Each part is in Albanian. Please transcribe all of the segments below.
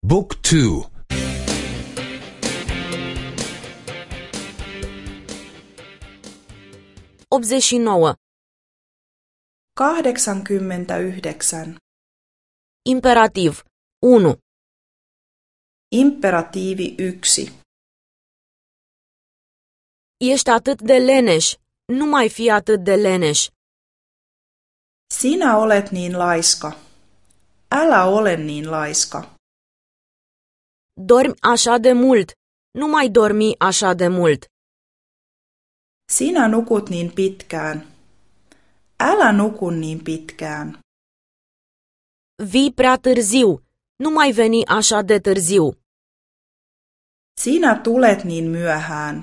บุ๊กทู 89. 89. Imperativ 1. Imperatiivi 1. Ești atât de leneș. Nu mai fi atât de leneș. Sinä olet niin laiska. Älä ole niin laiska. Dormi așa de mult. Nu mai dormi așa de mult. Sinä nukut niin pitkään. Älä nuku niin pitkään. Vii prea târziu. Nu mai veni așa de târziu. Sinä tulet niin myöhään.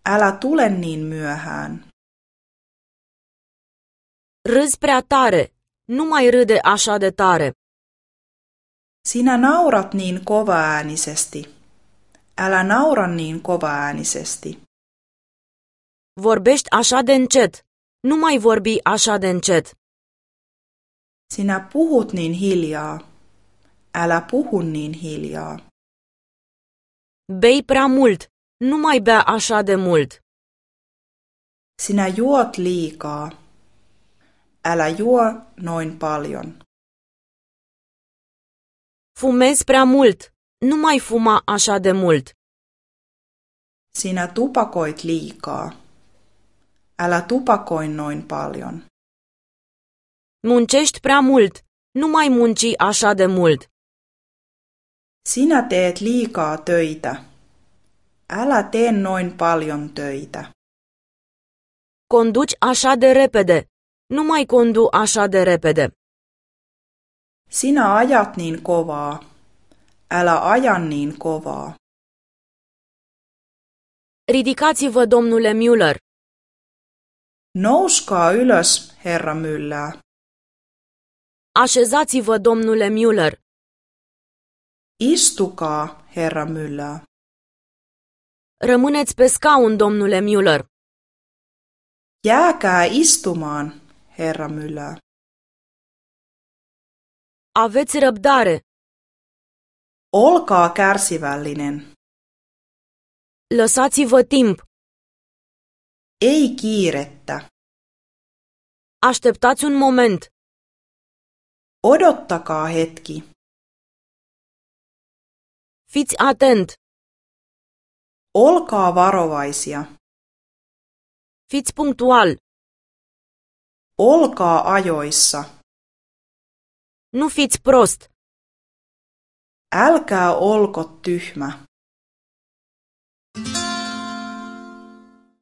Älä tule niin myöhään. Râzi prea tare. Nu mai râde așa de tare. Sinä naurat niin kovaäänisesti. Älä naura niin kovaäänisesti. Vorbești așa de încet. Nu mai vorbi așa de încet. Sinä puhut niin hiljaa. Älä puhu niin hiljaa. Bei prea mult. Nu mai bea așa de mult. Sinä juot liikaa. Älä juo noin paljon. Fumezi prea mult. Nu mai fuma așa de mult. Sinä tupakoit liikaa. Älä tupakoi noin paljon. Muncești prea mult. Nu mai munci așa de mult. Sinä teet liikaa töitä. Älä tee noin paljon töitä. Conduci așa de repede. Nu mai condu așa de repede. Sinä ajat niin kovaa. Älä aja niin kovaa. Ridicați-vă, domnule Müller. Nouskaa ylös, herra Myllää. Așezați-vă, domnule Müller. Istukaa, herra Myllää. Rămâneți pe scaun, domnule Müller. Jääkää istumaan, herra Myllää. Aveți răbdare. Olkaa kärsivällinen. Lăsați-vă timp. Ei kiirettä. Așteptați un moment. Odottakaa hetki. Fiți atent. Olkaa varovaisia. Fiți punctual. Olkaa ajoissa. Nu fiți prost. Älkää olko tyhmä.